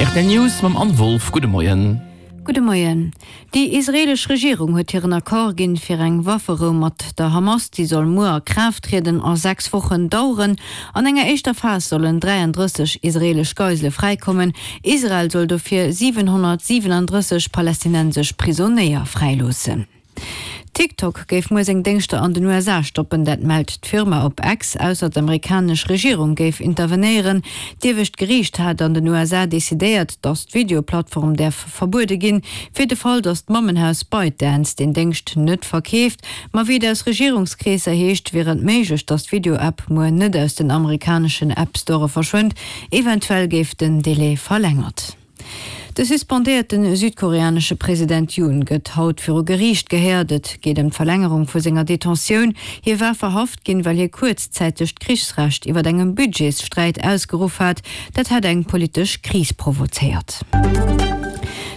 Rtl News mam Anne Wolff. Gudde Moien. Gudde Moien. Déi israeelesch Regierung huet hiren Accord ginn fir eng Wafferou mat der Hamas. Déi soll muer a Kraaft trieden a 6 Wochen daueren. An enger éischter Phas sollen 33 israeelesch Geisele fräikommen. Israel soll dofir 737 palästinensesch Prisonéier fräiloossen. TikTok géif muer seng Déngschter an den USA stoppen, dat mellt d'Firma op X. Ausser d'amerikanesch Regierung géif intervenéieren. D'iewescht Geriicht hat an den USA decidéiert, datt d'Videoplattform däerf verbuede ginn, fir de Fall, datt d'Mammenhaus ByteDance deen Déngscht net verkeeft. Ma wéi et aus Regierungskreesser heescht, wier et méiglech, datt d'Video-App muer net aus den amerikaneschen App-Store verschwënnt. Eventuell géif den Delai verlängert. De suspendéierte südkoreanesche President Yoon gëtt haut viru Geriicht gehéiert. Et geet ëm d'Verlängerung vu senger Detentioun. Hie war verhaft ginn, well hie kuerzzäiteg d'Krichsrecht iwwer engem Budgetssträit ausgeruff hat. Dat hätt eng politesch Kris provozéiert.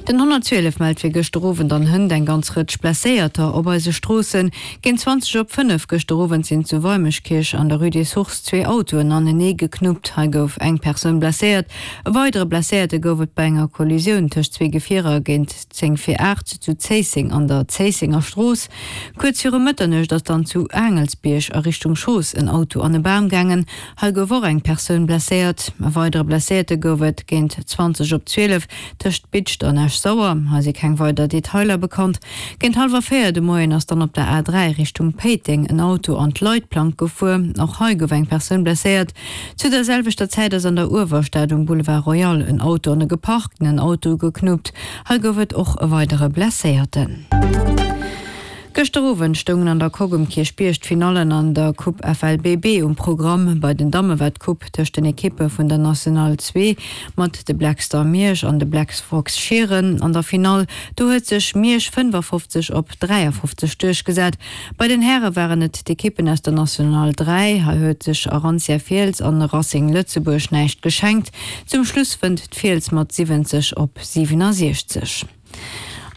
Den 112 mellt fir gëschter Owend an hënt eng ganz Rëtsch Blesséierter op eise Stroossen. Géint 20 op 5 gëschter Owend sinn zu Weimeschkierch an der Rue des Sources zwee Autoen anenee geknuppt. Hei gouf eng Persoun blesséiert. E weidere Blesséierte gouf et bei enger Kollisioun tëscht zwee Gefierer géint 10 vir 8 zu Zéisseng an der Zéissenger Strooss. Kuerz viru Mëtternuecht ass dann zu Aangelsbierg a Richtung Schoos en Auto an e Bam gaangen. Hei gouf och eng Persoun blesséiert. E weidere Blesséierte gouf et géint 20 op 12 tëscht Bidscht an Esch-Sauer. Hei si keng weider Detailer bekannt. Géint hallwer 4 de Moien ass dann op der A3 Richtung Péiteng en Auto an d'Leitplank gefuer. Och hei gouf eng Persoun blesséiert. Zu der selwechter Zäit ass an der Uewerstad um Boulevard Royal en Auto an e geparktenen Auto geknuppt. Hei gouf et och e weidere Blesséierten. Gëschter Owend stoungen an der Coque um Kierchbierg d'Finallen an der Coupe FLBB um Programm. Bei den Damme war d'Coupe tëscht den Ekippe vun der National 2 mat de Black Star Miersch an de Black Fox Schieren an der Finall. Do huet sech Miersch 55 op 53 duerchgesat. Bei den Häre waren et d'Ekippen aus der National 3. Hei huet sech Arantia Fiels an Racing Lëtzebuerg näischt geschenkt. Zum Schluss wënnt d'Fiels mat 70 op 67.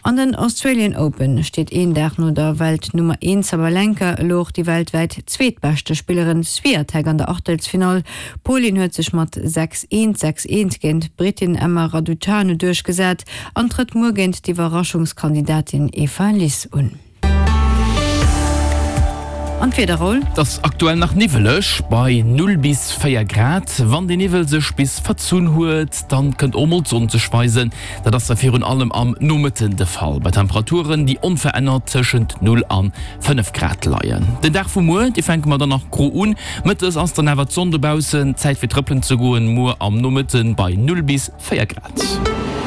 An den Australian Open steet een Dag no der Weltnummer 1 Sabalenka elo och déi weltwäit zweetbeschte Spillerin Swiatek an der Aachtelsfinall. D'Polin huet sech mat 6, 1, 6, 1 géint d'Brittin Emma Raducanu duerchgesat an trëtt muer géint d'Iwwerraschungskandidatin Eva Lys un. An d'Wieder, Raoul? Et ass aktuell nach niwweleg bei 0 bis 4 Grad. Wann de Niwwel sech bis verzunn huet, dann kënnt och mol d'Sonn sech weisen. Dat ass da virun allem am Nomëtten de Fall, bei Temperaturen, déi onverännert tëschent 0 an 5 Grad leien. Den Dag vu muer, dee fänke mer dann nach gro un. Mëttes ass dann awer d'Sonn dobaussen, Zäit fir trëppelen ze goen, muer am Nomëtten bei 0 bis 4 Grad.